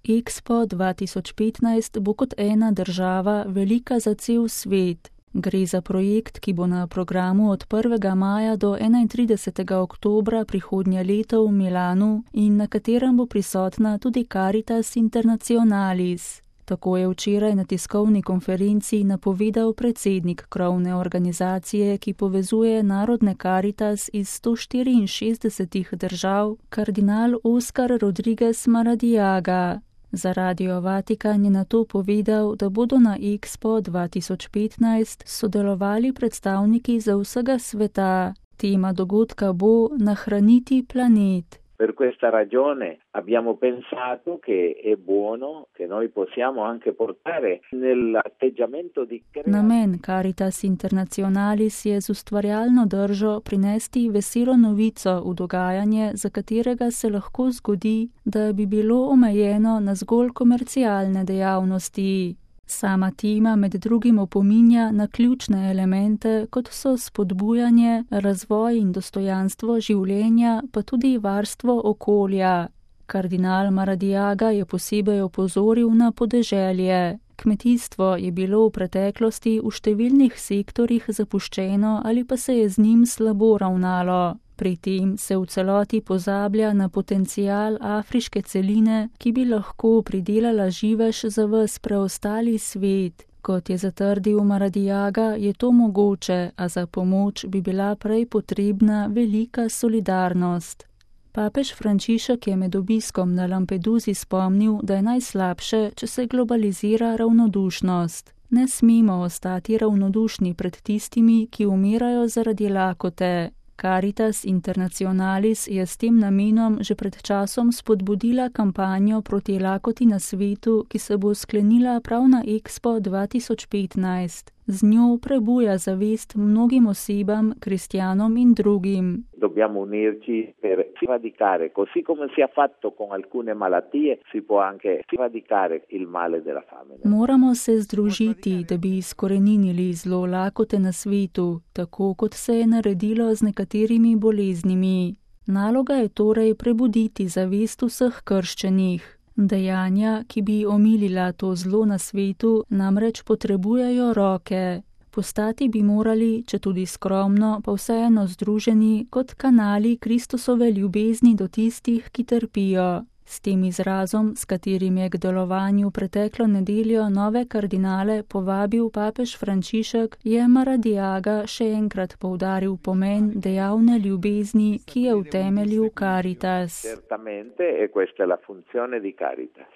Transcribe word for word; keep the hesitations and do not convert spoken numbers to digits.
Expo dva tisoč petnajst bo kot ena država velika za cel svet. Gre za projekt, ki bo na programu od prvega maja do enaintridesetega oktobra prihodnje leto v Milanu in na katerem bo prisotna tudi Caritas Internationalis. Tako je včeraj na tiskovni konferenci napovedal predsednik krovne organizacije, ki povezuje narodne Caritas iz sto štiriinšestdesetih držav, kardinal Oscar Rodriguez Maradiaga. Za Radio Vatikan je nato povedal, da bodo na Expo dva tisoč petnajst sodelovali predstavniki za vsega sveta. Tema dogodka bo Nahraniti planet. Per questa ragione abbiamo pensato che è buono che noi possiamo anche portare nell'atteggiamento di Namen Caritas Internationalis je z ustvarjalno držo prinesti veselo novico v dogajanje, za katerega se lahko zgodi, da bi bilo omejeno na zgolj komercialne dejavnosti. Sama tema med drugim opominja na ključne elemente, kot so spodbujanje, razvoj in dostojanstvo življenja, pa tudi varstvo okolja. Kardinal Maradiaga je posebej opozoril na podeželje. Kmetijstvo je bilo v preteklosti v številnih sektorjih zapuščeno ali pa se je z njim slabo ravnalo. Pri tem se v celoti pozablja na potencial afriške celine, ki bi lahko pridelala živež za ves preostali svet. Kot je zatrdil Maradiaga, je to mogoče, a za pomoč bi bila prej potrebna velika solidarnost. Papež Frančišek je med obiskom na Lampedusi spomnil, da je najslabše, če se globalizira ravnodušnost. Ne smemo ostati ravnodušni pred tistimi, ki umirajo zaradi lakote. Caritas Internationalis je s tem namenom že pred časom spodbudila kampanjo proti lakoti na svetu, ki se bo sklenila prav na Expo dva tisoč petnajst. Z njo prebuja zavest mnogim osebam, kristjanom in drugim. Dobbiamo unirci per sradicare, così come si è fatto con alcune malattie, si può anche sradicare il male della fame. Moramo se združiti, da bi izkoreninili zlo lakote na svetu, tako kot se je naredilo z nekaterimi boleznimi. Naloga je torej prebuditi zavest vseh krščenih. Dejanja, ki bi omilila to zlo na svetu, namreč potrebujejo roke. Postati bi morali, če tudi skromno, pa vseeno združeni kot kanali Kristusove ljubezni do tistih, ki trpijo. S tem izrazom, s katerim je k delovanju preteklo nedeljo nove kardinale povabil papež Frančišek, je Maradiaga še enkrat poudaril pomen dejavne ljubezni, ki je v temelju Caritas. Certamente, e questa è la funzione di Caritas.